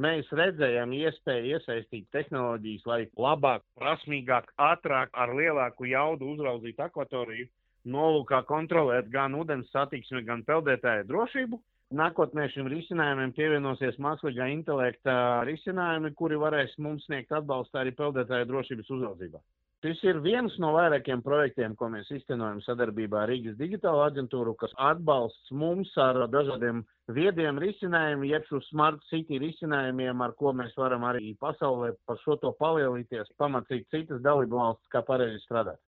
Mēs redzējām iespēju iesaistīt tehnoloģijas, lai labāk, prasmīgāk, ātrāk, ar lielāku jaudu uzraudzītu akvatoriju, nolūkā kontrolēt gan ūdens satiksmi, gan peldētāju drošību. Nākotnē šim risinājumiem pievienosies mākslīgā intelekta risinājumi, kuri varēs mums sniegt atbalstu arī peldētāju drošības uzraudzībā. Šis ir viens no vairākiem projektiem, ko mēs iztenojam sadarbībā ar Rīgas digitālo aģentūru, kas atbalsts mums ar dažādiem viediem risinājumiem, jeb šo smart city risinājumiem, ar ko mēs varam arī pasaulē par šo to palielīties, pamācīt citas dalībvalstis, kā pareizi strādāt.